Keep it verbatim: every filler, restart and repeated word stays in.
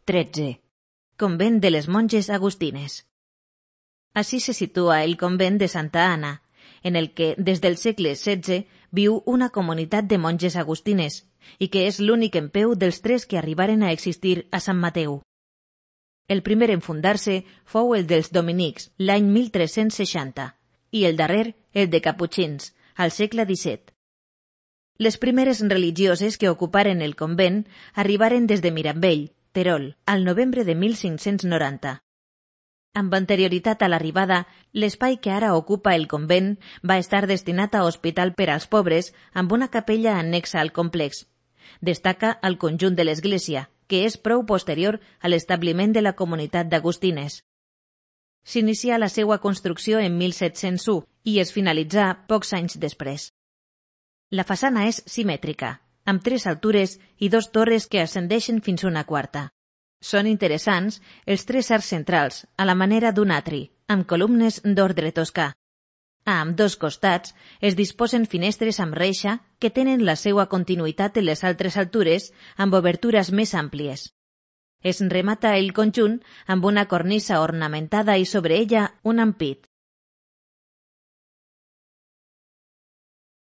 tretze. Convent de les monjes agustines. Así se sitúa el convent de Santa Ana, en el que des del segle setze viu una comunitat de monges agustines i que és l'únic en peu dels tres que arribaren a existir a Sant Mateu. El primer en fundar-se fou el dels dominics l'any mil tres-cents seixanta i el darrer el de caputxins, al segle disset. Les primeres religioses que ocuparen el convent arribaren des de Mirambell, Terol, al novembre de mil cinc-cents noranta. Amb anterioritat a l'arribada, l'espai que ara ocupa el convent va estar destinat a hospital per als pobres amb una capella annexa al complex. Destaca el conjunt de l'església, que és prou posterior a l'establiment de la comunitat d'agustines. S'inicia la seva construcció en mil set-cents u i es finalitzà pocs anys després. La façana és simètrica, amb tres altures i dos torres que ascendeixen fins a una quarta. Són interessants els tres arcs centrals, a la manera d'un atri, amb columnes d'ordre toscà. A ambdós costats es disposen finestres amb reixa que tenen la seva continuïtat en les altres altures amb obertures més àmplies. Es remata el conjunt amb una cornisa ornamentada i sobre ella un ampit.